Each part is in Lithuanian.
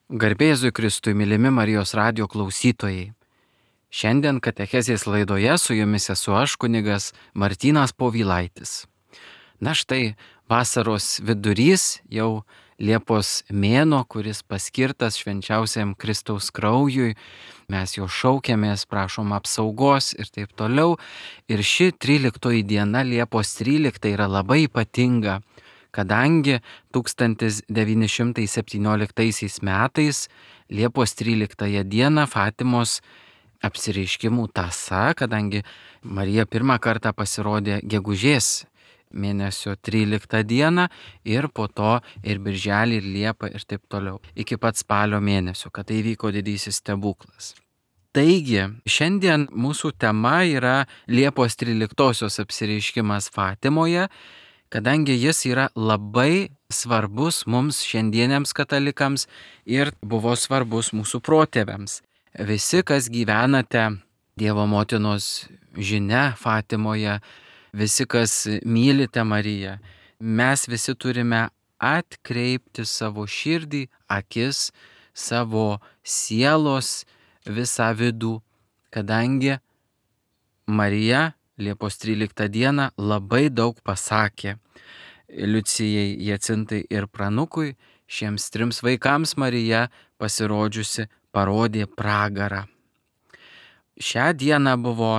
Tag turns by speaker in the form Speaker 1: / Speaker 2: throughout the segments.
Speaker 1: Garbė Jėzui Kristui, mylimi Marijos radijo klausytojai. Šiandien katechezės laidoje su jumis esu aš, kunigas Martynas Povilaitis. Na štai, vasaros vidurys, jau Liepos mėnuo, kuris paskirtas švenčiausiam Kristaus kraujui. Mes jo šaukiamės, prašom apsaugos ir taip toliau. Ir ši 13 diena, Liepos 13, yra labai ypatinga, kadangi 1917 metais Liepos 13 dieną Fatimos apsireiškimų tąsa, kadangi Marija pirmą kartą pasirodė gegužės mėnesio 13 dieną ir po to ir birželį, ir liepą ir taip toliau, iki pat spalio mėnesio, kad tai vyko didysis stebuklas. Taigi, šiandien mūsų tema yra Liepos 13 apsireiškimas Fatimoje, kadangi jis yra labai svarbus mums šiandieniams katalikams ir buvo svarbus mūsų protėviams. Visi, kas gyvenate Dievo motinos žinia Fatimoje, visi, kas mylite Mariją, mes visi turime atkreipti savo širdį, akis, savo sielos visą vidų, kadangi Marija Liepos 13 dieną labai daug pasakė Liucijai, Jacintai ir Pranukui. Šiems 3 vaikams Marija pasirodžiusi parodė pragarą. Šią dieną buvo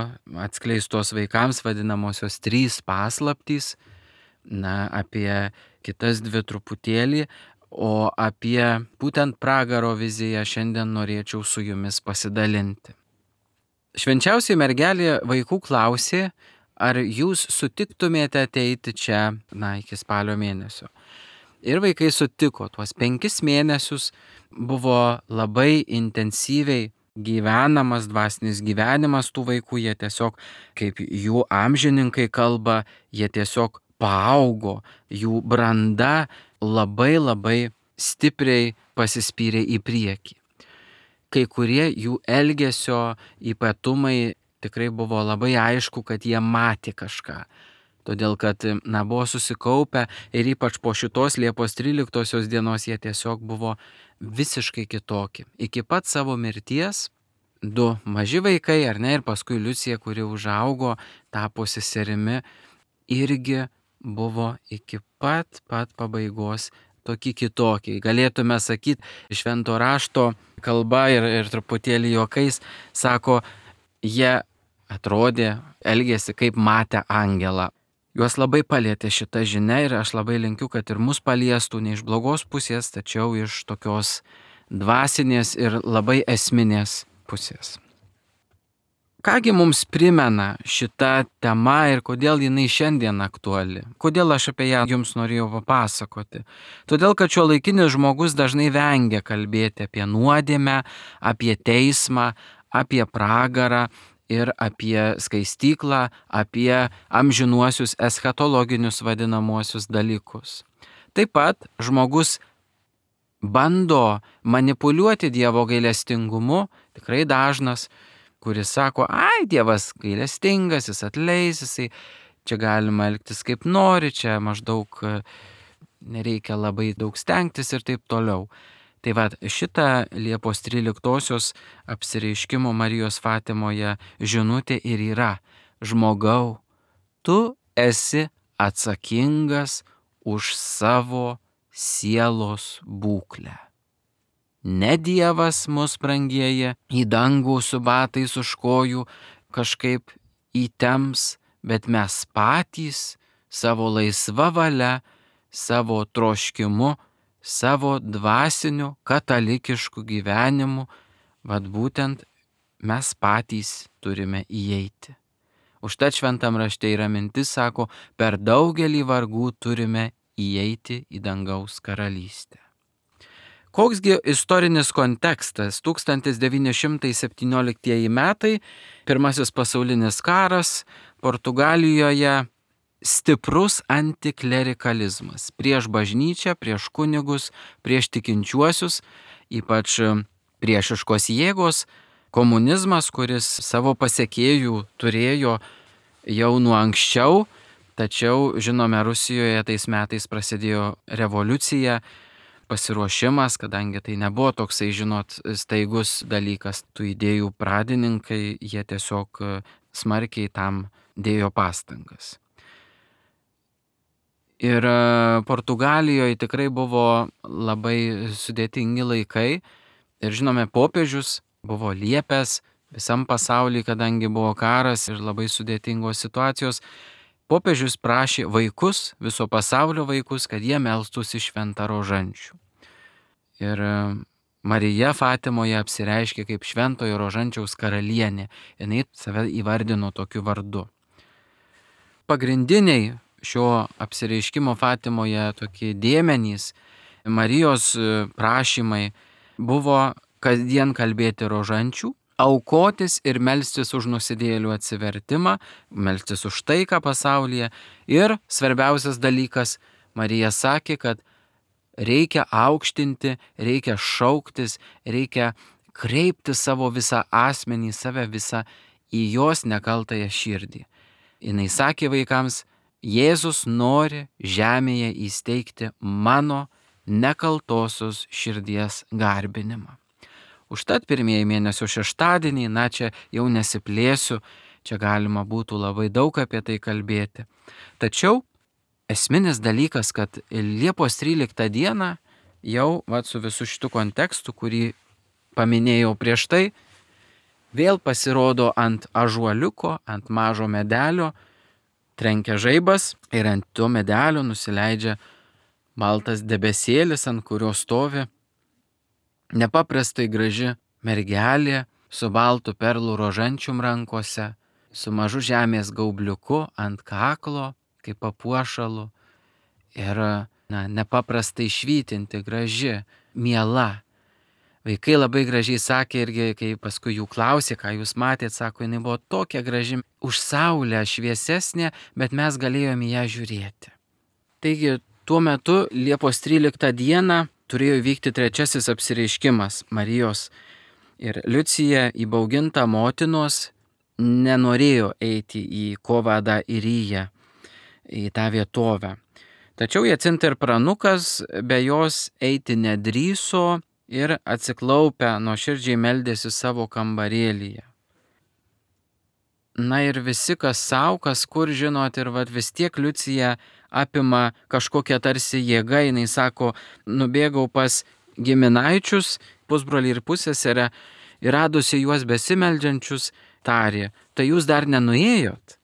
Speaker 1: atskleistos vaikams vadinamosios 3 paslaptys, apie kitas 2 truputėlį, o apie būtent pragaro viziją šiandien norėčiau su jumis pasidalinti. Švenčiausioji mergelė vaikų klausė, ar jūs sutiktumėte ateiti čia, iki spalio mėnesio. Ir vaikai sutiko, tuos 5 mėnesius buvo labai intensyviai gyvenamas dvasinis gyvenimas tų vaikų, jie tiesiog, kaip jų amžininkai kalba, jie tiesiog paaugo, jų branda labai stipriai pasispyrė į priekį. Kai kurie jų elgesio ypatumai tikrai buvo labai aišku, kad jie matė kažką. Todėl, kad buvo susikaupę ir ypač po šitos Liepos 13 dienos jie tiesiog buvo visiškai kitokie. Iki pat savo mirties 2 maži vaikai, ir paskui Liucija, kuri užaugo, tapo seserimi, irgi buvo iki pat pabaigos tokie kitokie. Galėtume sakyti, švento rašto kalba ir truputėlį juokais, sako, jie atrodė, elgėsi kaip matę angelą. Juos labai palietė šita žinia ir aš labai linkiu, kad ir mus paliestų ne iš blogos pusės, tačiau iš tokios dvasinės ir labai esminės pusės. Kągi mums primena šita tema ir kodėl jinai šiandien aktuali? Kodėl aš apie ją jums norėjau papasakoti? Todėl, kad šiuolaikinis žmogus dažnai vengia kalbėti apie nuodėmę, apie teismą, apie pragarą ir apie skaistyklą, apie amžinuosius eschatologinius vadinamuosius dalykus. Taip pat žmogus bando manipuliuoti Dievo gailestingumu, tikrai dažnas, kuris sako, Dievas gailestingas, jis atleis, jisai čia galima elgtis kaip nori, čia maždaug nereikia labai daug stengtis ir taip toliau. Tai šita Liepos 13 apsireiškimo Marijos Fatimoje žinutė ir yra: žmogau, tu esi atsakingas už savo sielos būklę. Ne Dievas mus, brangieji, į dangų su batais už kojų kažkaip įtemps, bet mes patys savo laisva valia, savo troškimu, savo dvasiniu katalikišku gyvenimu, būtent mes patys turime įeiti. Užtat šventam rašte yra mintis, sako, per daugelį vargų turime įeiti į dangaus karalystę. Koksgi istorinis kontekstas? 1917 metai, Pirmasis pasaulinis karas, Portugalijoje stiprus antiklerikalizmas prieš bažnyčią, prieš kunigus, prieš tikinčiuosius, ypač priešiškos jėgos, komunizmas, kuris savo pasekėjų turėjo jau nuo anksčiau, tačiau, žinome, Rusijoje tais metais prasidėjo revoliucija, pasiruošimas, kadangi tai nebuvo toksai, žinot, staigus dalykas. Tų idėjų pradininkai, jie tiesiog smarkiai tam dėjo pastangas. Ir Portugalijoje tikrai buvo labai sudėtingi laikai. Ir žinome, popiežius buvo liepęs visam pasauliu, kadangi buvo karas ir labai sudėtingos situacijos. Popiežius prašė vaikus, viso pasaulio vaikus, kad jie melstųsi šventą rožančių. Ir Marija Fatimoje apsireiškė kaip šventojo rožančiaus karalienė. Jinai save įvardino tokiu vardu. Pagrindiniai šio apsireiškimo Fatimoje tokie dėmenys, Marijos prašymai buvo kasdien kalbėti rožančių, aukotis ir melstis už nusidėjėlių atsivertimą, melstis už taiką pasaulyje. Ir svarbiausias dalykas, Marija sakė, kad reikia aukštinti, reikia šauktis, reikia kreipti savo visą asmenį, save visą į jos nekaltąją širdį. Jis sakė vaikams, Jėzus nori žemėje įsteigti mano nekaltosios širdies garbinimą. Užtat pirmieji mėnesio šeštadieniai, čia jau nesiplėsiu, čia galima būtų labai daug apie tai kalbėti. Tačiau esminis dalykas, kad Liepos 13 dieną jau su visu šitu kontekstu, kurį paminėjau prieš tai, vėl pasirodo ant ąžuoliuko, ant mažo medelio, trenkia žaibas ir ant to medelio nusileidžia baltas debesėlis, ant kurio stovi nepaprastai graži mergelė su baltu perlų rožančium rankose, su mažu žemės gaubliuku ant kaklo, kaip papuošalu ir nepaprastai švytinti, graži, miela. Vaikai labai gražiai sakė irgi, kai paskui jų klausė, ką jūs matėt, sako, jinai buvo tokia graži, už saulę šviesesnė, bet mes galėjome ją žiūrėti. Taigi, tuo metu Liepos 13 dieną turėjo vykti trečiasis apsireiškimas Marijos. Ir Liucija, įbauginta motinos, nenorėjo eiti į Kovadą Iriją, į tą vietovę. Tačiau Jacinta ir pranukas be jos eiti nedrįso ir atsiklaupę nuoširdžiai meldėsi savo kambarėlyje. Ir visi, kas savo, kas kur, žinot, ir vis tiek Liucija apima kažkokią tarsi jėgą, jinai sako, nubėgau pas giminaičius, pusbrolį ir pusseserę, ir radusi juos besimeldžiančius, tarė, tai jūs dar nenuėjot?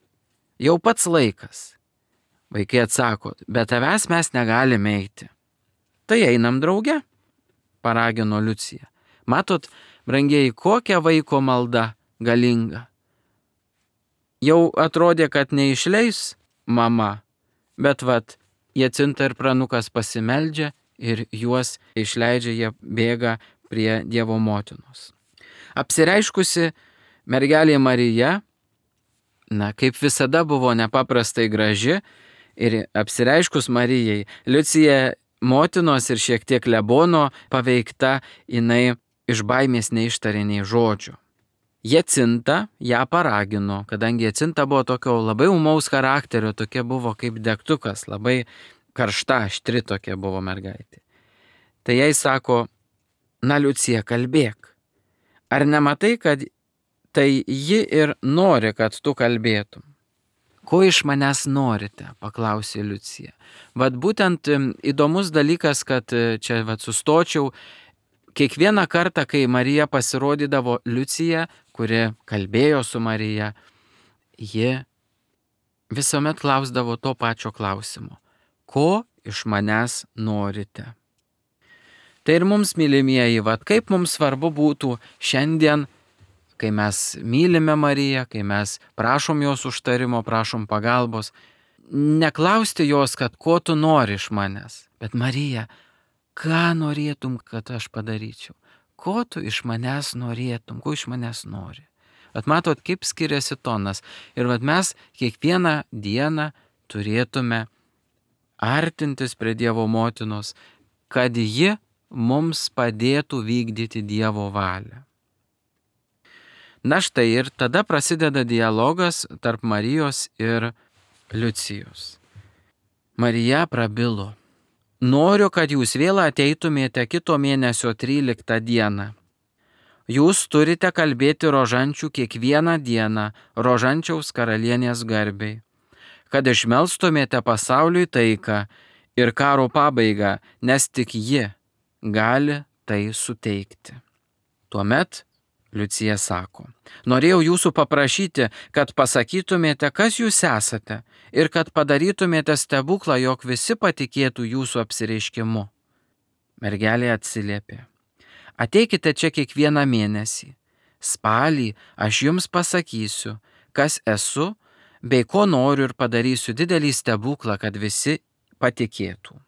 Speaker 1: Jau pats laikas. Vaikai atsako, bet tavęs mes negalime eiti. Tai einam drauge, paragino Liucija. Matot, brangieji, kokia vaiko malda galinga. Jau atrodė, kad neišleis mama, bet Jacinta ir pranukas pasimeldžia ir juos išleidžia, jie bėga prie Dievo motinos. Apsireiškusi mergelė Marija, kaip visada buvo nepaprastai graži ir apsireiškus Marijai, Liucija motinos ir šiek tiek Lebono paveikta, jinai iš baimės neištarė nei žodžio. Jacinta ją paragino, kadangi Jacinta buvo tokio labai ūmaus charakterio, tokia buvo kaip degtukas, labai karšta, aštri tokia buvo mergaitė. Tai jai sako, Liucija, kalbėk. Ar nematai, kad tai ji ir nori, kad tu kalbėtum? Ko iš manęs norite, paklausė Liucija. Būtent įdomus dalykas, kad čia sustočiau, kiekvieną kartą, kai Marija pasirodydavo Liucija, kuri kalbėjo su Marija, ji visuomet klausdavo to pačio klausimo. Ko iš manęs norite? Tai ir mums, mylimieji, kaip mums svarbu būtų šiandien, kai mes mylime Mariją, kai mes prašom jos užtarimo, prašom pagalbos, neklausti jos, kad ko tu nori iš manęs, bet Marija, ką norėtum, kad aš padaryčiau? Ko tu iš manęs norėtum, ko iš manęs nori? Matot, kaip skiriasi tonas. Ir mes kiekvieną dieną turėtume artintis prie Dievo motinos, kad ji mums padėtų vykdyti Dievo valią. Štai ir tada prasideda dialogas tarp Marijos ir Liucijos. Marija prabilo. Noriu, kad jūs vėl ateitumėte kito mėnesio 13 dieną. Jūs turite kalbėti rožančių kiekvieną dieną rožančiaus karalienės garbei, kad išmelstumėte pasauliui taiką ir karo pabaigą, nes tik ji gali tai suteikti. Tuomet Liucija sako, norėjau jūsų paprašyti, kad pasakytumėte, kas jūs esate ir kad padarytumėte stebuklą, jog visi patikėtų jūsų apsireiškimu. Mergelė atsiliepė, ateikite čia kiekvieną mėnesį. Spalį aš jums pasakysiu, kas esu, bei ko noriu ir padarysiu didelį stebuklą, kad visi patikėtų.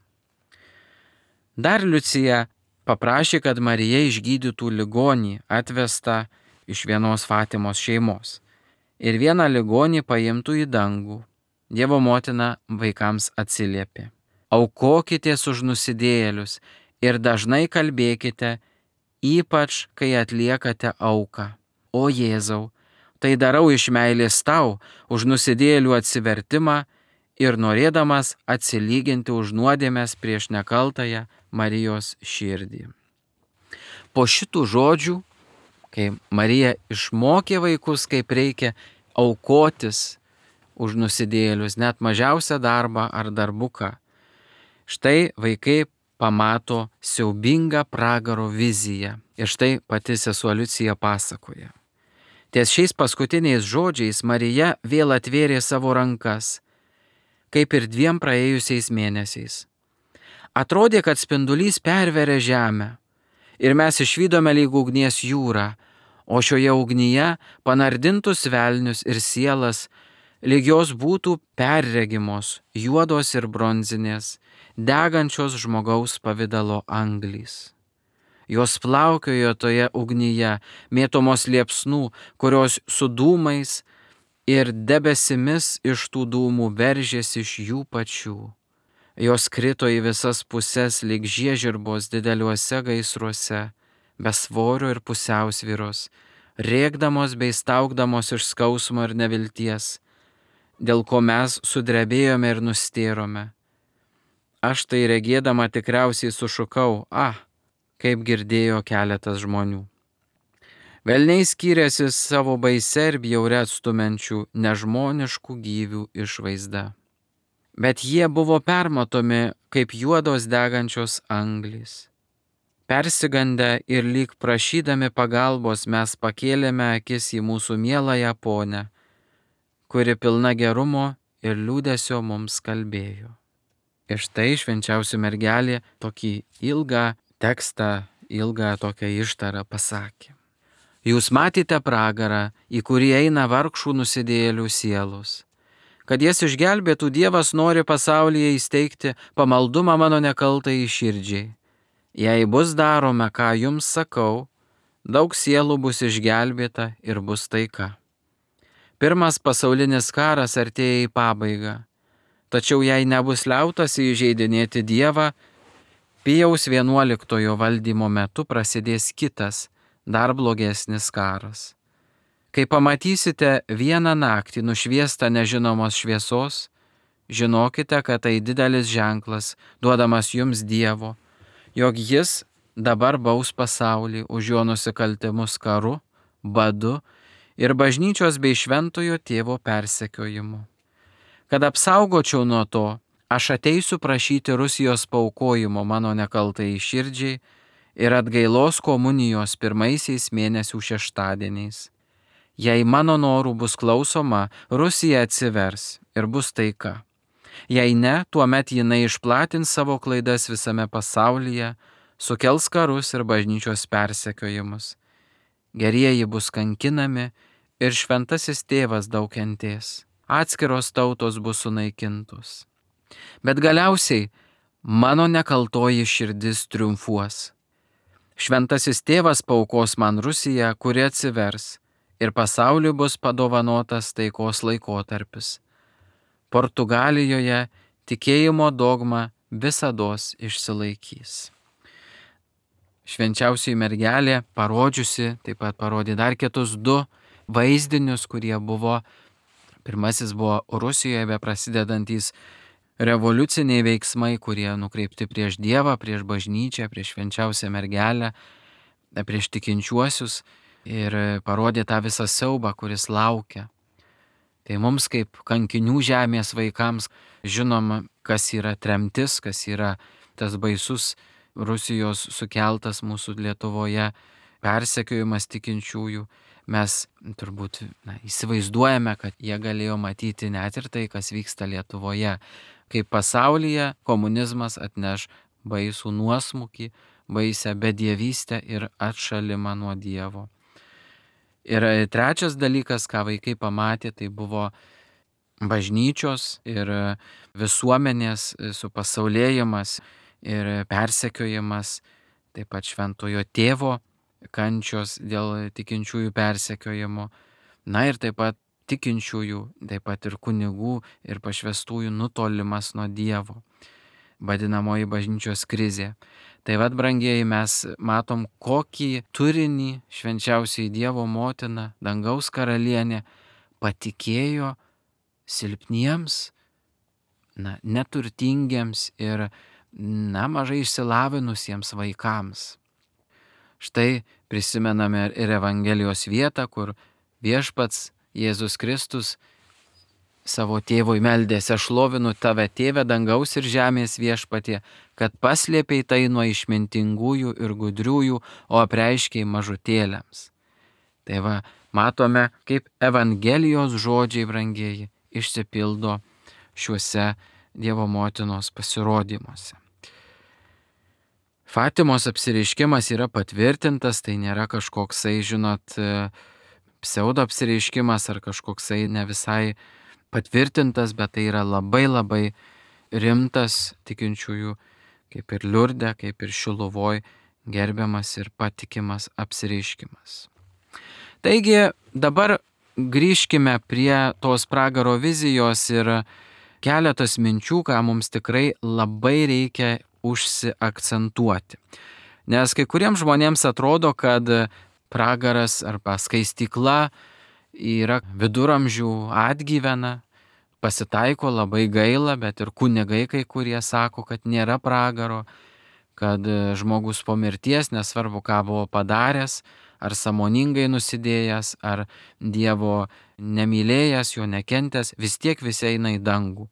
Speaker 1: Dar Liucija paprašė, kad Marija išgydytų ligonį atvestą iš vienos Fatimos šeimos ir vieną ligonį paimtų į dangų. Dievo motina vaikams atsiliepė, aukokitės už nusidėjėlius ir dažnai kalbėkite, ypač kai atliekate auką. O Jėzau, tai darau iš meilės tau, už nusidėjėlių atsivertimą ir norėdamas atsilyginti už nuodėmes prieš nekaltąją Marijos širdį. Po šitų žodžių, kai Marija išmokė vaikus, kaip reikia aukotis už nusidėjėlius, net mažiausią darbą ar darbuką, štai vaikai pamato siaubingą pragaro viziją. Ir štai pati sesuo Liucija pasakoja. Ties šiais paskutiniais žodžiais Marija vėl atvėrė savo rankas, kaip ir 2 praėjusiais mėnesiais. Atrodė, kad spindulys perveria žemę ir mes išvydome lyg ugnies jūrą, o šioje ugnyje panardintus velnius ir sielas, lyg jos būtų perregimos, juodos ir bronzinės, degančios žmogaus pavidalo anglys. Jos plaukiojo toje ugnyje, mėtomos liepsnų, kurios su dūmais ir debesimis iš tų dūmų veržėsi iš jų pačių. Jos krito į visas puses lyg žiežirbos dideliuose gaisruose, be svorio ir pusiausvyros, rėkdamos bei staugdamos iš skausmo ir nevilties, dėl ko mes sudrebėjome ir nustėrome. Aš tai regėdama tikriausiai sušukau, kaip girdėjo keletas žmonių. Velniai skyrėsi savo baise ir bjaure atstumenčių nežmoniškų gyvių išvaizda. Bet jie buvo permatomi kaip juodos degančios anglys. Persigandę ir lyg prašydami pagalbos mes pakėlėme akis į mūsų mieląją ponę, kuri pilna gerumo ir liūdesio mums kalbėjo. Ir štai švenčiausia mergelė tokį ilgą tekstą, ilgą tokią ištarą pasakė. Jūs matėte pragarą, į kurį eina vargšų nusidėjėlių sielos. Kad jas išgelbėtų, Dievas nori pasaulyje įsteigti pamaldumą mano nekaltai širdžiai. Jei bus darome, ką jums sakau, daug sielų bus išgelbėta ir bus taika. Pirmas pasaulinis karas artėja į pabaigą, tačiau jei nebus liautasi įžeidinėti Dievą, Pijaus XI valdymo metu prasidės kitas, dar blogesnis karas. Kai pamatysite vieną naktį nušviestą nežinomos šviesos, žinokite, kad tai didelis ženklas, duodamas jums Dievo, jog jis dabar baus pasaulį už jo nusikaltimus karu, badu ir bažnyčios bei šventojo tėvo persekiojimu. Kad apsaugočiau nuo to, aš ateisiu prašyti Rusijos paaukojimo mano nekaltai širdžiai ir atgailos komunijos pirmaisiais mėnesių šeštadieniais. Jei mano norų bus klausoma, Rusija atsivers ir bus taika. Jei ne, tuomet jinai išplatins savo klaidas visame pasaulyje, sukels karus ir bažnyčios persekiojimus. Gerieji bus kankinami ir šventasis tėvas daug kentės. Atskiros tautos bus sunaikintos. Bet galiausiai mano nekaltoji širdis triumfuos. Šventasis tėvas paaukos man Rusiją, kuri atsivers, ir pasauliui bus padovanotas taikos laikotarpis. Portugalijoje tikėjimo dogma visados išsilaikys. Švenčiausioji mergelė parodžiusi, taip pat parodė dar kitus 2 vaizdinius, kurie buvo, pirmasis buvo Rusijoje beprasidedantys revoliuciniai veiksmai, kurie nukreipti prieš Dievą, prieš bažnyčią, prieš švenčiausią mergelę, prieš tikinčiuosius ir parodė tą visą siaubą, kuris laukia. Tai mums kaip kankinių žemės vaikams žinoma, kas yra tremtis, kas yra tas baisus Rusijos sukeltas mūsų Lietuvoje persekiojimas tikinčiųjų. Mes turbūt įsivaizduojame, kad jie galėjo matyti net ir tai, kas vyksta Lietuvoje, kaip pasaulyje komunizmas atneš baisų nuosmukį, baisę bedievystę ir atšalimą nuo Dievo. Ir trečias dalykas, ką vaikai pamatė, tai buvo bažnyčios ir visuomenės supasaulėjimas ir persekiojimas, taip pat šventojo tėvo kančios dėl tikinčiųjų persekiojimo, ir taip pat tikinčiųjų, taip pat ir kunigų ir pašvestųjų nutolimas nuo Dievo, vadinamoji bažnyčios krizė. Tai vad, brangieji, mes matom, kokį turinį švenčiausiai Dievo motina, dangaus karalienė, patikėjo silpniems, neturtingiems ir mažai išsilavinusiems vaikams. Štai prisimename ir Evangelijos vietą, kur viešpats Jėzus Kristus savo tėvui meldėsi: aš šlovinu tave, tėve, dangaus ir žemės viešpatie, kad paslėpei tai nuo išmintingųjų ir gudriųjų, o apreiškei mažutėliams. Tai va, matome, kaip Evangelijos žodžiai, brangieji, išsipildo šiuose Dievo motinos pasirodymuose. Fatimos apsireiškimas yra patvirtintas, tai nėra kažkoksai, pseudo apsireiškimas ar kažkoksai ne visai patvirtintas, bet tai yra labai labai rimtas tikinčiųjų, kaip ir Liurde, kaip ir Šiluvoj, gerbiamas ir patikimas apsireiškimas. Taigi dabar grįžkime prie tos pragaro vizijos ir keletas minčių, ką mums tikrai labai reikia užsiakcentuoti. Nes kai kuriems žmonėms atrodo, kad pragaras arba skaistykla yra viduramžių atgyvena, pasitaiko, labai gaila, bet ir kunigai kai kurie sako, kad nėra pragaro, kad žmogus po mirties, nesvarbu ką buvo padaręs, ar sąmoningai nusidėjęs, ar Dievo nemylėjęs, jo nekentęs, vis tiek visi eina į dangų.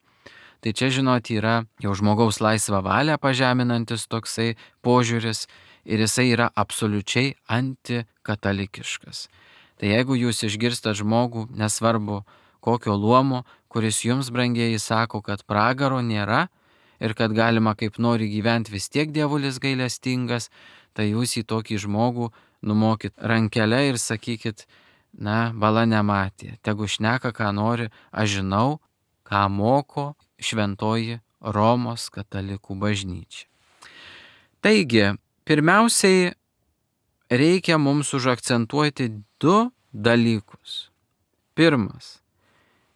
Speaker 1: Tai čia, yra jau žmogaus laisvą valią pažeminantis toksai požiūris ir jisai yra absoliučiai antikatalikiškas. Tai jeigu jūs išgirstat žmogų, nesvarbu kokio luomo, kuris jums, brangieji, sako, kad pragaro nėra ir kad galima kaip nori gyventi, vis tiek dievulis gailestingas, tai jūs į tokį žmogų numokit rankelę ir sakykit: bala nematė, tegu šneka ką nori, aš žinau, ką moko šventoji Romos katalikų bažnyčia. Taigi, pirmiausiai reikia mums užakcentuoti du dalykus. Pirmas,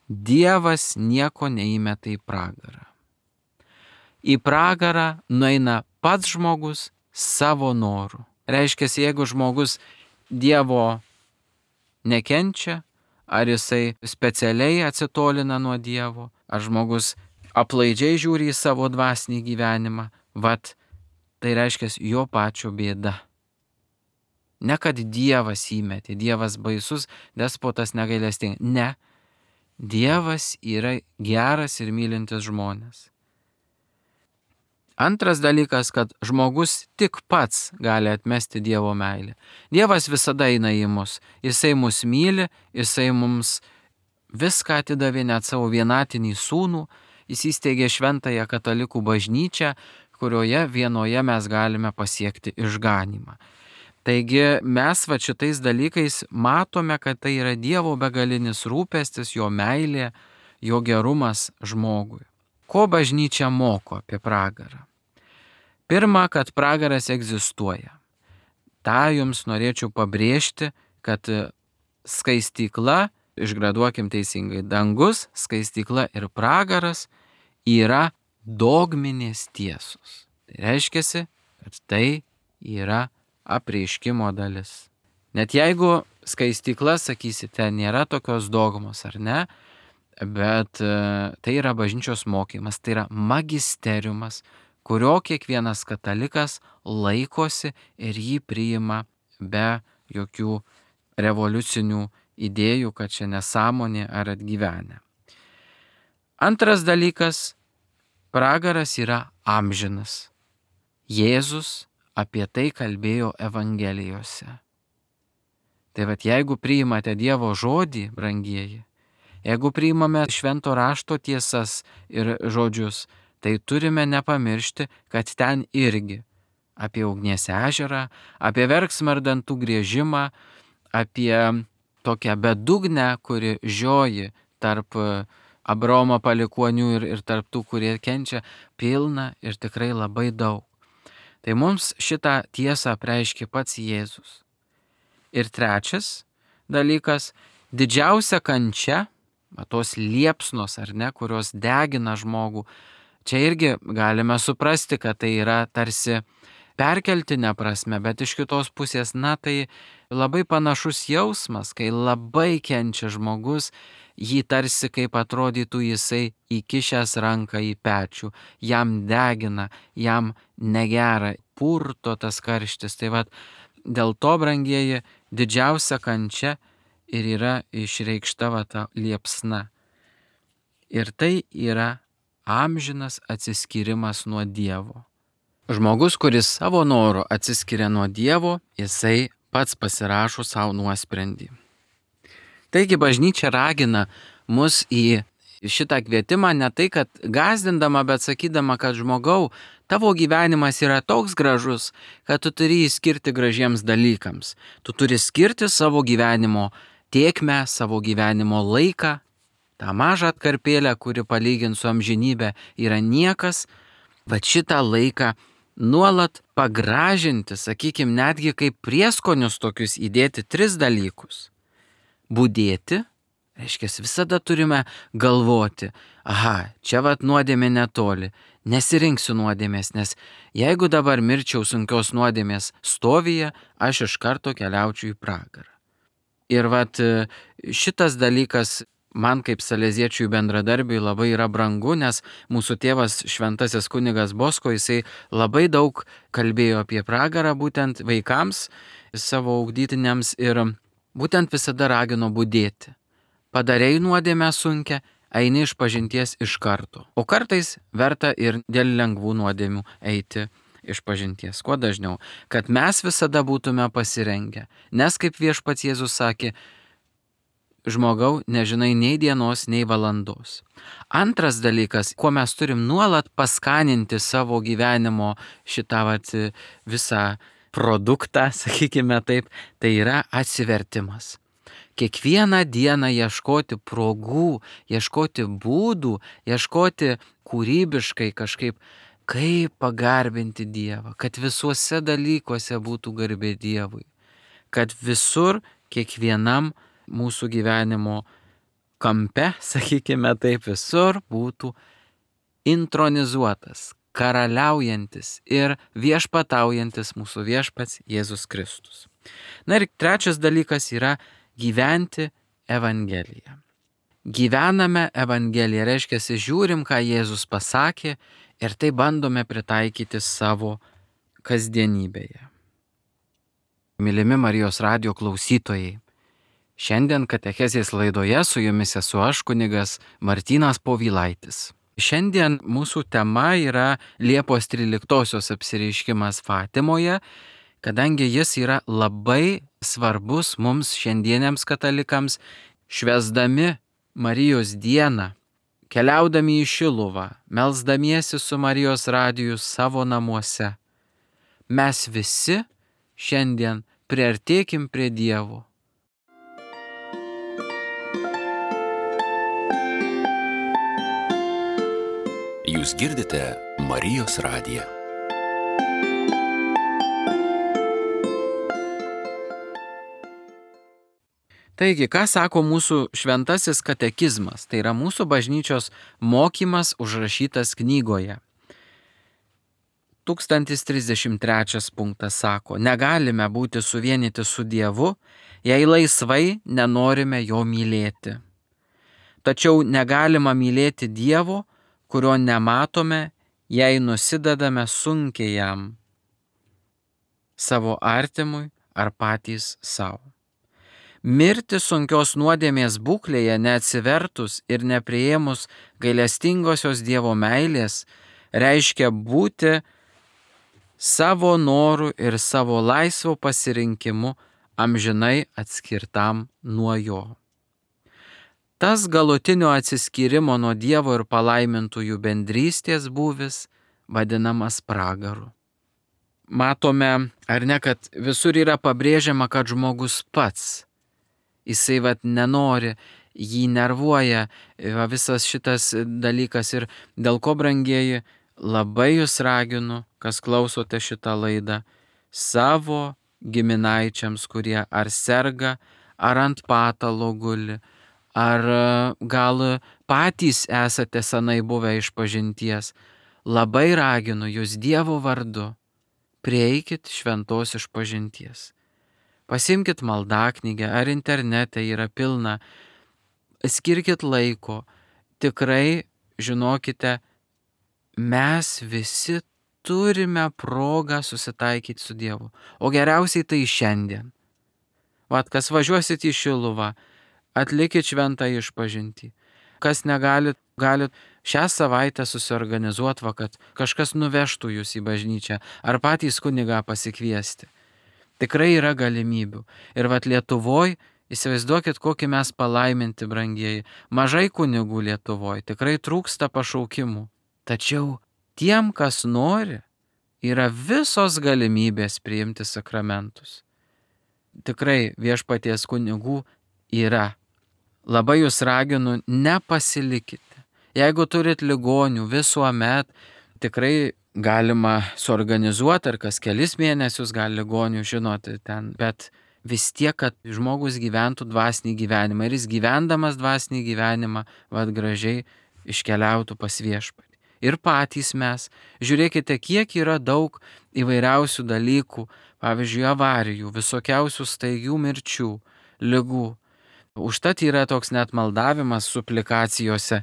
Speaker 1: Dievas nieko neįmeta į pragarą. Į pragarą nueina pats žmogus savo noru. Reiškia, jeigu žmogus Dievo nekenčia, ar jisai specialiai atsitolina nuo Dievo, ar žmogus aplaidžiai žiūri į savo dvasinį gyvenimą, tai reiškia jo pačio bėda. Ne kad Dievas įmetė, Dievas baisus, despotas negailestingas. Ne, Dievas yra geras ir mylintis žmonės. Antras dalykas, kad žmogus tik pats gali atmesti Dievo meilę. Dievas visada eina į mus. Jisai mus myli, jisai mums viską atidavė, net savo vienatinį sūnų. Jis įsteigė šventąją katalikų bažnyčią, kurioje vienoje mes galime pasiekti išganymą. Taigi mes šitais dalykais matome, kad tai yra Dievo begalinis rūpestis, jo meilė, jo gerumas žmogui. Ko bažnyčia moko apie pragarą? Pirma, kad pragaras egzistuoja. Ta jums norėčiau pabrėžti, kad skaistykla, išgraduokim teisingai, dangus, skaistykla ir pragaras yra dogminės tiesos. Tai reiškia, kad tai yra apreiškimo dalis. Net jeigu skaistykla, sakysite, nėra tokios dogmos, ar ne, bet tai yra bažnyčios mokymas, tai yra magisteriumas, kurio kiekvienas katalikas laikosi ir jį priima be jokių revoliucinių idėjų, kad čia nesąmonė ar atgyvenę. Antras dalykas, pragaras yra amžinas. Jėzus apie tai kalbėjo Evangelijose. Tai jeigu priimate Dievo žodį, brangieji, jeigu priimame švento rašto tiesas ir žodžius, tai turime nepamiršti, kad ten irgi apie ugnies ežerą, apie verksmą ir dantų griežimą, apie tokią bedugnę, kuri žioji tarp Abraomo palikuonių ir tarp tų, kurie kenčia, pilna ir tikrai labai daug. Tai mums šitą tiesą apreiškė pats Jėzus. Ir trečias dalykas, didžiausia kančia, tos liepsnos ar ne, kurios degina žmogų, čia irgi galime suprasti, kad tai yra tarsi perkeltinė prasme, bet iš kitos pusės, tai labai panašus jausmas, kai labai kenčia žmogus, jį tarsi kaip atrodytų jisai įkišęs ranką į pečių, jam degina, jam negera, purto tas karštis. Tai dėl to, brangieji, didžiausia kančia ir yra išreikšta ta liepsna. Ir tai yra amžinas atsiskyrimas nuo Dievo. Žmogus, kuris savo noru atsiskiria nuo Dievo, jisai pats pasirašo savo nuosprendį. Taigi bažnyčia ragina mus į šitą kvietimą ne tai, kad gąsdindama, bet sakydama, kad žmogau, tavo gyvenimas yra toks gražus, kad tu turi jį skirti gražiems dalykams. Tu turi skirti savo gyvenimo tėkmę, savo gyvenimo laiką, tą mažą atkarpėlę, kuri palyginti su amžinybė yra niekas, bet šitą laiką nuolat pagražinti, sakykime, netgi kaip prieskonius tokius įdėti 3 dalykus. Budėti, reiškia, visada turime galvoti, čia nuodėmė netoli, nesirinksiu nuodėmės, nes jeigu dabar mirčiau sunkios nuodėmės stovyje, aš iš karto keliaučiau į pragarą. Ir šitas dalykas man kaip saleziečiui bendradarbiui labai yra brangu, nes mūsų tėvas šventasis kunigas Bosko, jisai labai daug kalbėjo apie pragarą būtent vaikams, savo ugdytiniams ir būtent visada ragino budėti. Padarei nuodėmę sunkią, eini iš pažinties iš karto. O kartais verta ir dėl lengvų nuodėmių eiti iš pažinties. Kuo dažniau, kad mes visada būtume pasirengę. Nes kaip viešpats Jėzus sakė, žmogau, nežinai nei dienos, nei valandos. Antras dalykas, kuo mes turim nuolat paskaninti savo gyvenimo šitą visą produktą, sakykime taip, tai yra atsivertimas. Kiekvieną dieną ieškoti progų, ieškoti būdų, ieškoti kūrybiškai kažkaip, kaip pagarbinti Dievą, kad visuose dalykuose būtų garbė Dievui, kad visur, kiekvienam mūsų gyvenimo kampe, sakykime taip, visur būtų intronizuotas, karaliaujantis ir viešpataujantis mūsų viešpats Jėzus Kristus. Ir trečias dalykas yra gyventi Evangeliją. Gyvename Evangeliją, reiškia, žiūrim, ką Jėzus pasakė ir tai bandome pritaikyti savo kasdienybėje. Mylimi Marijos radijo klausytojai, šiandien katechezės laidoje su jumis esu aš, kunigas Martynas Povilaitis. Šiandien mūsų tema yra Liepos 13-osios apsireiškimas Fatimoje, kadangi jis yra labai svarbus mums šiandieniams katalikams, švęsdami Marijos dieną, keliaudami į Šiluvą, melsdamiesi su Marijos radiju savo namuose. Mes visi šiandien priartėkim prie Dievo.
Speaker 2: Jūs girdite Marijos radiją.
Speaker 1: Taigi, ką sako mūsų šventasis katekizmas? Tai yra mūsų bažnyčios mokymas užrašytas knygoje. 1033 punktas sako, negalime būti suvienyti su Dievu, jei laisvai nenorime jo mylėti. Tačiau negalima mylėti Dievo, kurio nematome, jei nusidedame sunkiai jam, savo artimui ar patys savo. Mirti sunkios nuodėmės būklėje neatsivertus ir nepriėmus gailestingosios Dievo meilės reiškia būti savo norų ir savo laisvo pasirinkimu amžinai atskirtam nuo jo. Tas galutinio atsiskyrimo nuo Dievo ir palaimintųjų bendrystės būvis vadinamas pragaru. Matome, ar ne, kad visur yra pabrėžiama, kad žmogus pats, jisai nenori, jį nervuoja visas šitas dalykas ir dėl ko, brangieji, labai jūs raginu, kas klausote šitą laidą, savo giminaičiams, kurie ar serga, ar ant patalo guli, ar gal patys esate senai buvę išpažinties, labai raginu jūs Dievo vardu, prieikit šventos išpažinties. Pasimkit maldaknygę, ar internete yra pilna, skirkit laiko, tikrai žinokite, mes visi turime progą susitaikyti su Dievu, o geriausiai tai šiandien. Kas važiuosit į Šiluvą, atlikit šventą išpažintį. Kas negalit, galit šią savaitę susiorganizuoti, kad kažkas nuvežtų jūs į bažnyčią, ar patys kunigą pasikviesti. Tikrai yra galimybių. Ir Lietuvoje, įsivaizduokit, kokį mes palaiminti, brangieji. Mažai kunigų Lietuvoje, tikrai trūksta pašaukimų. Tačiau tiem, kas nori, yra visos galimybės priimti sakramentus. Tikrai viešpaties kunigų yra. Labai jūs raginu, nepasilikite. Jeigu turit ligonių, visuomet tikrai galima suorganizuoti, ar kas kelis mėnesius gali ligonių, žinoti ten, bet vis tiek, kad žmogus gyventų dvasinį gyvenimą ir jis gyvendamas dvasinį gyvenimą, gražiai iškeliautų pas viešpatį. Ir patys mes, žiūrėkite, kiek yra daug įvairiausių dalykų, pavyzdžiui, avarijų, visokiausių staigių mirčių, ligų. Užtat yra toks net maldavimas suplikacijose,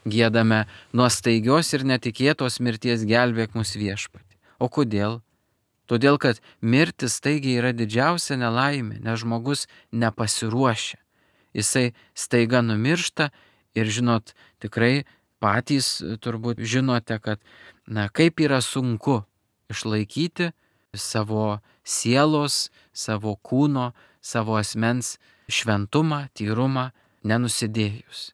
Speaker 1: giedame nuo staigios ir netikėtos mirties gelbėk mus viešpatį. O kodėl? Todėl, kad mirtis staigiai yra didžiausia nelaimė, nes žmogus nepasiruošia. Jisai staiga numiršta ir žinot, tikrai patys turbūt žinote, kad kaip yra sunku išlaikyti savo sielos, savo kūno, savo asmens šventumą, tyrumą, nenusidėjus.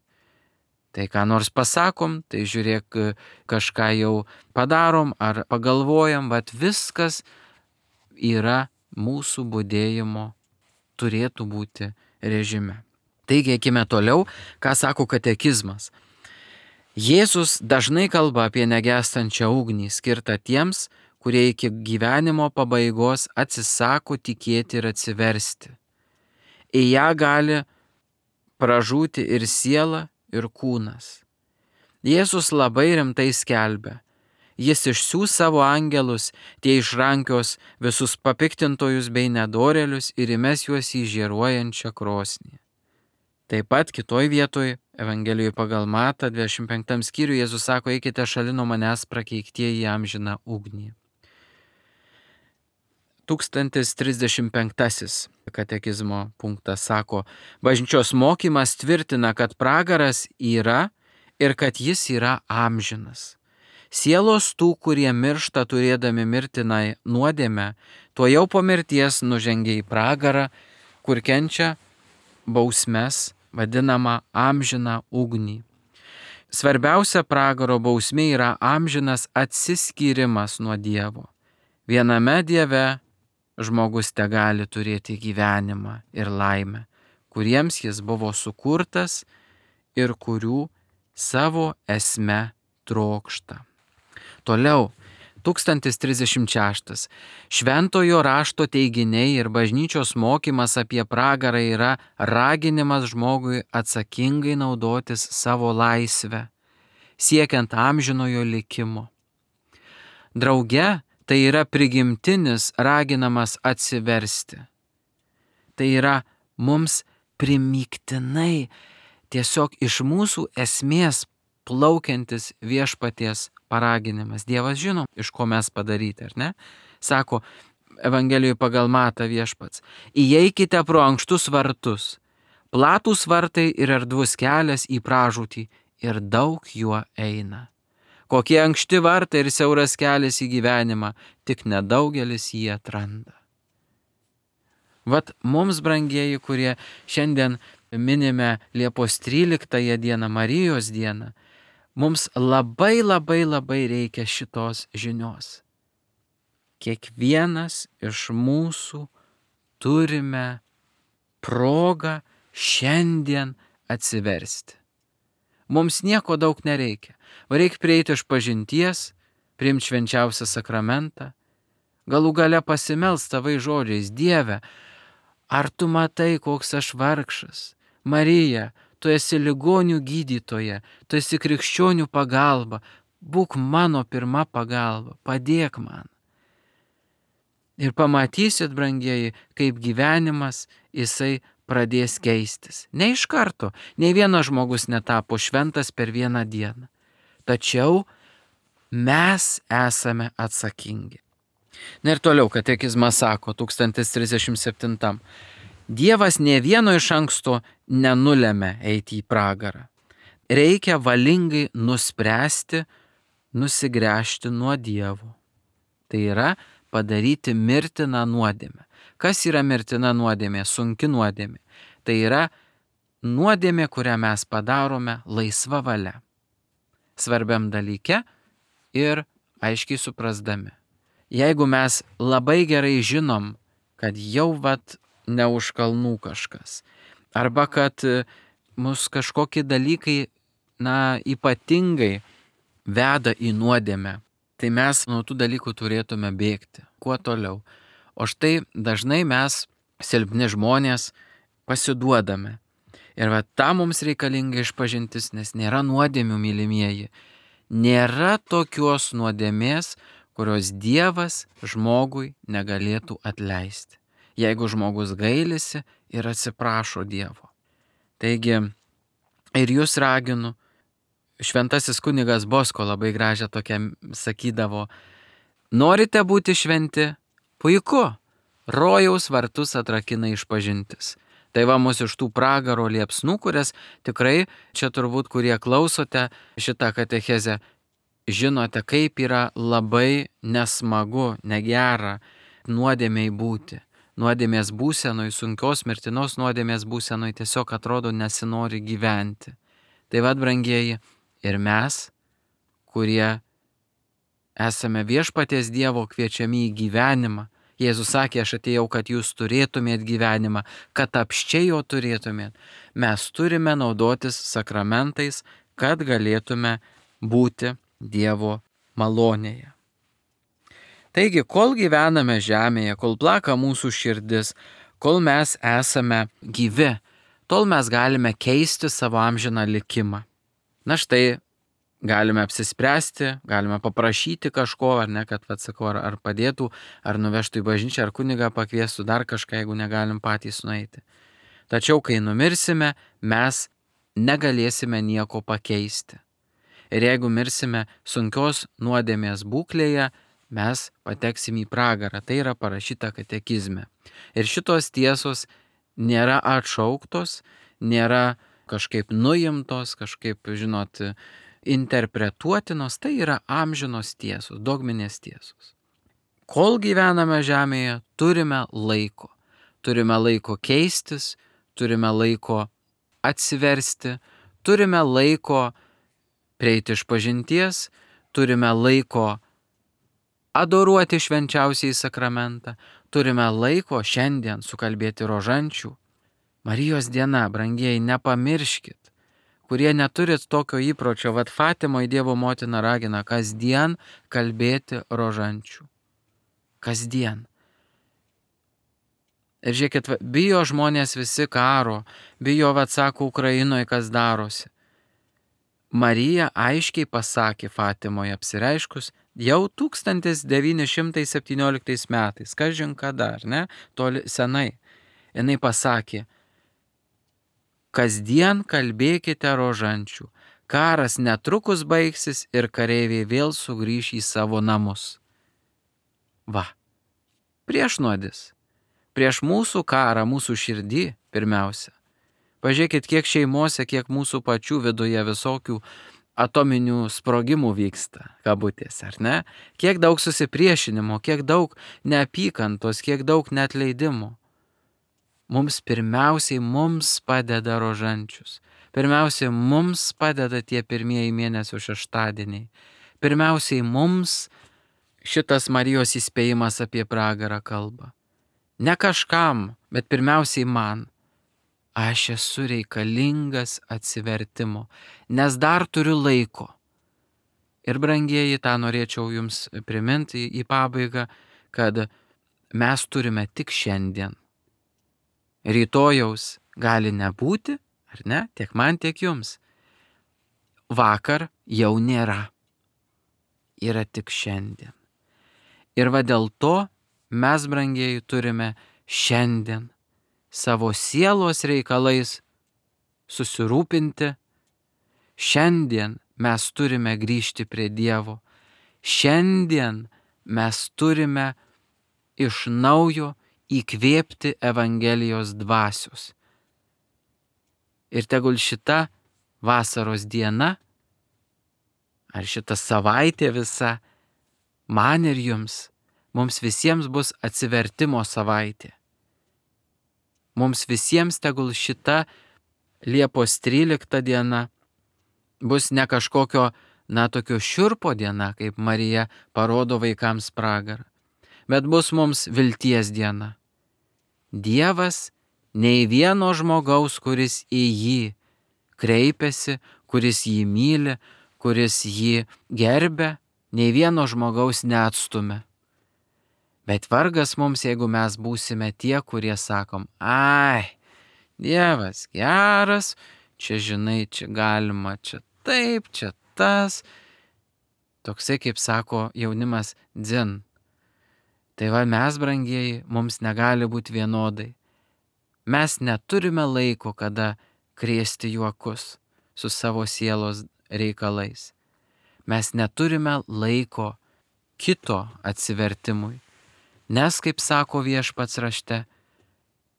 Speaker 1: Tai ką nors pasakom, tai žiūrėk, kažką jau padarom ar pagalvojam, viskas yra mūsų budėjimo, turėtų būti režime. Taigi, eikime toliau, ką sako katekizmas. Jėzus dažnai kalba apie negęstančią ugnį, skirtą tiems, kurie iki gyvenimo pabaigos atsisako tikėti ir atsiversti. Į ją gali pražūti ir siela, ir kūnas. Jėzus labai rimtai skelbia. Jis išsiųs savo angelus, tie išrankios visus papiktintojus bei nedorėlius ir įmes juos į žėruojančią krosnį. Taip pat kitoj vietoj, Evangelijoje pagal Matą, 25 skyriuje, Jėzus sako, eikite šalin nuo manęs prakeiktieji į amžiną ugnį. 1035 katekizmo punktas sako, bažnyčios mokymas tvirtina, kad pragaras yra ir kad jis yra amžinas. Sielos tų, kurie miršta turėdami mirtinai nuodėmę, tuo jau po mirties nužengia į pragarą, kur kenčia bausmes, vadinama amžiną ugnį. Svarbiausia pragaro bausmė yra amžinas atsiskyrimas nuo Dievo. Viename Dieve žmogus tegali turėti gyvenimą ir laimę, kuriems jis buvo sukurtas ir kurių savo esme trokšta. Toliau, 1036. Šventojo rašto teiginiai ir bažnyčios mokymas apie pragarą yra raginimas žmogui atsakingai naudotis savo laisvę, siekiant amžinojo likimo. Drauge, tai yra prigimtinis raginamas atsiversti. Tai yra mums primygtinai tiesiog iš mūsų esmės plaukiantis viešpaties paraginimas. Dievas žino, iš ko mes padaryti, ar ne? Sako Evangelijoje pagal Matą viešpats. Įeikite pro ankštus vartus. Platūs vartai ir erdvus kelias į pražūtį ir daug juo eina. Kokie ankšti vartai ir siauras kelias į gyvenimą, tik nedaugelis jį atranda. Vat mums, brangieji, kurie šiandien minime Liepos 13 dieną, Marijos dieną, mums labai reikia šitos žinios. Kiekvienas iš mūsų turime progą šiandien atsiversti. Mums nieko daug nereikia. Reikia prieiti iš pažinties, priimti švenčiausią sakramentą, galų gale pasimelst tavai žodžiais: Dieve, ar tu matai, koks aš vargšas? Marija, tu esi ligonių gydytoja, tu esi krikščionių pagalba, būk mano pirma pagalba, padėk man. Ir pamatysit, brangieji, kaip gyvenimas jisai pradės keistis. Ne iš karto, nei vienas žmogus netapo šventas per vieną dieną. Tačiau mes esame atsakingi. Na ir toliau katekizmas sako 1037. Dievas nė vieno iš anksto nenulėmė eiti į pragarą. Reikia valingai nuspręsti, nusigręžti nuo Dievo. Tai yra padaryti mirtiną nuodėmę. Kas yra mirtina nuodėmė, sunki nuodėmė? Tai yra nuodėmė, kurią mes padarome laisva valia, svarbiam dalyke ir aiškiai suprasdami. Jeigu mes labai gerai žinom, kad jau ne už kalnų kažkas, arba kad mus kažkokie dalykai, ypatingai veda į nuodėmę, tai mes nuo tų dalykų turėtume bėgti. Kuo toliau? O štai dažnai mes, silpni žmonės, pasiduodame. Ir tam mums reikalinga išpažintis, nes nėra nuodėmių, mylimieji. Nėra tokios nuodėmės, kurios Dievas žmogui negalėtų atleisti, jeigu žmogus gailisi ir atsiprašo Dievo. Taigi, ir jūs raginu, šventasis kunigas Bosko labai gražią tokią sakydavo: norite būti šventi? Puiku, rojaus vartus atrakina išpažintis. Tai mus iš tų pragaro liepsnų, kurias tikrai čia turbūt, kurie klausote šitą katechezę, žinote, kaip yra labai nesmagu, negera nuodėmiai būti. Nuodėmės būsenoj, sunkios mirtinos nuodėmės būsenoj tiesiog atrodo nesinori gyventi. Tai brangieji, ir mes, kurie esame viešpaties Dievo kviečiami į gyvenimą. Jėzus sakė: aš atėjau, kad jūs turėtumėt gyvenimą, kad apsčiai jo turėtumėt. Mes turime naudotis sakramentais, kad galėtume būti Dievo malonėje. Taigi, kol gyvename žemėje, kol plaka mūsų širdis, kol mes esame gyvi, tol mes galime keisti savo amžiną likimą. Na štai, galime apsispręsti, galime paprašyti kažko, ar ne, kad ar padėtų, ar nuvežtų į bažnyčią, ar kunigą pakviestų, dar kažką, jeigu negalim patys nueiti. Tačiau, kai numirsime, mes negalėsime nieko pakeisti. Ir jeigu mirsime sunkios nuodėmės būklėje, mes pateksim į pragarą. Tai yra parašyta katekizme. Ir šitos tiesos nėra atšauktos, nėra kažkaip nuimtos, kažkaip, interpretuotinos. Tai yra amžinos tiesos, dogminės tiesos. Kol gyvename žemėje, turime laiko. Turime laiko keistis, turime laiko atsiversti, turime laiko prieiti išpažinties, turime laiko adoruoti švenčiausiąjį sakramentą, turime laiko šiandien sukalbėti rožančių. Marijos diena, brangieji, nepamirškit, kurie neturit tokio įpročio, Fatimoje Dievo motina ragina kasdien kalbėti rožančių. Kasdien. Ir žiūrėkit, bijo žmonės visi karo, bijo, sako, Ukrainoje kas darosi. Marija aiškiai pasakė Fatimoje apsireiškus jau 1917 metais, kažin kada, ar ne, toli senai. Jinai pasakė: Kasdien kalbėkite rožančių. Karas netrukus baigsis ir kareiviai vėl sugrįš į savo namus. Va, priešnuodis. Prieš mūsų karą, mūsų širdį pirmiausia. Pažiūrėkit, kiek šeimose, kiek mūsų pačių viduje visokių atominių sprogimų vyksta, kabutės, ar ne? Kiek daug susipriešinimo, kiek daug neapykantos, kiek daug neatleidimo. Pirmiausiai mums padeda rožančius. Pirmiausiai mums padeda tie pirmieji mėnesio šeštadieniai. Pirmiausiai mums šitas Marijos įspėjimas apie pragarą kalba. Ne kažkam, bet pirmiausiai man. Aš esu reikalingas atsivertimo, nes dar turiu laiko. Ir brangieji, tą norėčiau jums priminti į pabaigą, kad mes turime tik šiandien. Rytojaus gali nebūti, ar ne? Tiek man, tiek jums. Vakar jau nėra. Yra tik šiandien. Ir va dėl to mes, brangieji, turime šiandien savo sielos reikalais susirūpinti. Šiandien mes turime grįžti prie Dievo. Šiandien mes turime iš naujo įkvėpti Evangelijos dvasios. Ir tegul šita vasaros diena, ar šita savaitė visa, man ir jums, mums visiems bus atsivertimo savaitė. Mums visiems tegul šita Liepos 13 diena bus ne kažkokio, tokio šiurpo diena, kaip Marija parodo vaikams pragarą, bet bus mums vilties diena. Dievas nei vieno žmogaus, kuris į jį kreipiasi, kuris jį myli, kuris jį gerbia, nei vieno žmogaus neatstumia. Bet vargas mums, jeigu mes būsime tie, kurie sakom, ai, Dievas geras, čia žinai, čia galima, čia taip, čia tas. Toksai, kaip sako jaunimas, dzin. Tai va mes, brangieji, mums negali būti vienodai. Mes neturime laiko, kada krėsti juokus su savo sielos reikalais. Mes neturime laiko kito atsivertimui. Nes, kaip sako Viešpats rašte,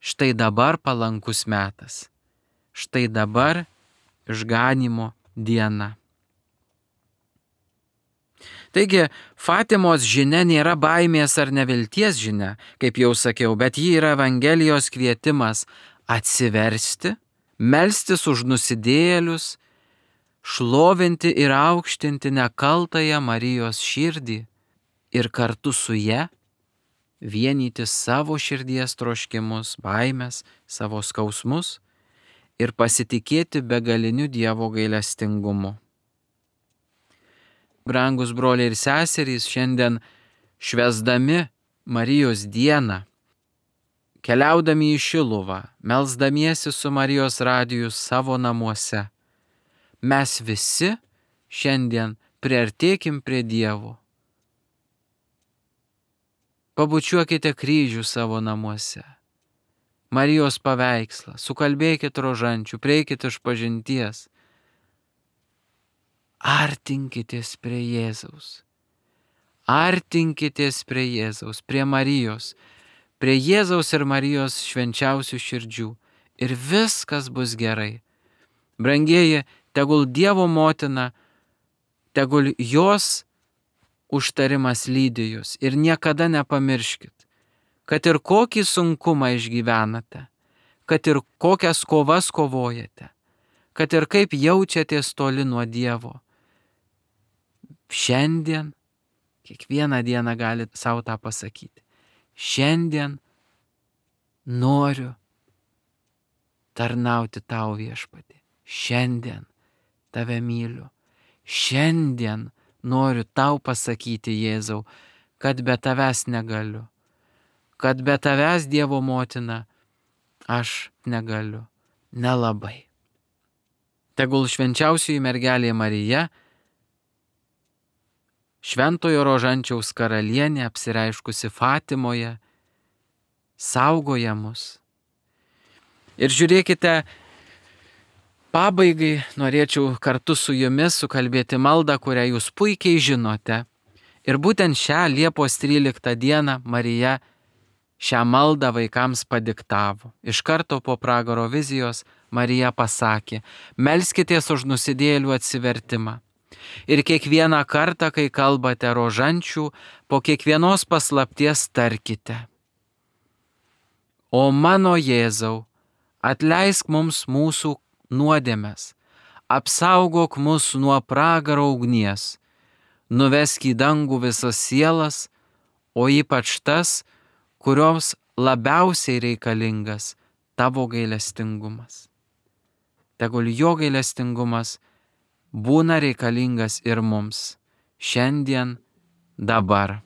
Speaker 1: štai dabar palankus metas. Štai dabar išganymo diena. Taigi, Fatimos žinia nėra baimės ar nevilties žinia, kaip jau sakiau, bet ji yra Evangelijos kvietimas atsiversti, melstis už nusidėjėlius, šlovinti ir aukštinti nekaltąją Marijos širdį ir kartu su ja vienyti savo širdies troškimus, baimės, savo skausmus ir pasitikėti begaliniu Dievo gailestingumu. Brangus broliai ir seserys, šiandien švęsdami Marijos dieną, keliaudami į Šiluvą, melsdamiesi su Marijos radiju savo namuose, mes visi šiandien priartėkim prie Dievo. Pabučiuokite kryžių savo namuose, Marijos paveikslą, sukalbėkit rožančių, prieikit išpažinties. Artinkitės prie Jėzaus. Artinkitės prie Jėzaus, prie Marijos, prie Jėzaus ir Marijos švenčiausių širdžių ir viskas bus gerai. Brangieji, tegul Dievo motina, tegul jos užtarimas lydi jūs ir niekada nepamirškit, kad ir kokį sunkumą išgyvenate, kad ir kokias kovas kovojate, kad ir kaip jaučiatės toli nuo Dievo. Šiandien, kiekvieną dieną galit savo tą pasakyti. Šiandien noriu tarnauti tau, Viešpatie. Šiandien tave myliu. Šiandien noriu tau pasakyti, Jėzau, kad be tavęs negaliu. Kad be tavęs, Dievo motina, aš negaliu. Nelabai. Tegul švenčiausioji mergelė Marija, Šventojo Rožančiaus karalienė apsireiškusi Fatimoje, saugoja mus. Ir žiūrėkite, Pabaigai norėčiau kartu su jumis sukalbėti maldą, kurią jūs puikiai žinote. Ir būtent šią Liepos 13 dieną Marija šią maldą vaikams padiktavo. Iš karto po pragaro vizijos Marija pasakė: melskitės už nusidėjėlių atsivertimą. Ir kiekvieną kartą, kai kalbate rožančių, po kiekvienos paslapties tarkite: O mano Jėzau, atleisk mums mūsų nuodėmes, apsaugok mus nuo pragaro ugnies, nuvesk į dangų visas sielas, o ypač tas, kurioms labiausiai reikalingas tavo gailestingumas. Tegul jo gailestingumas būna reikalingas ir mums šiandien, dabar.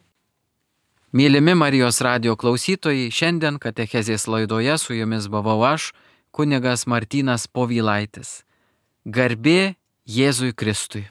Speaker 1: Mylimi Marijos radijo klausytojai, šiandien katechezės laidoje su jumis buvau aš, kunigas Martynas Povilaitis. Garbė Jėzui Kristui.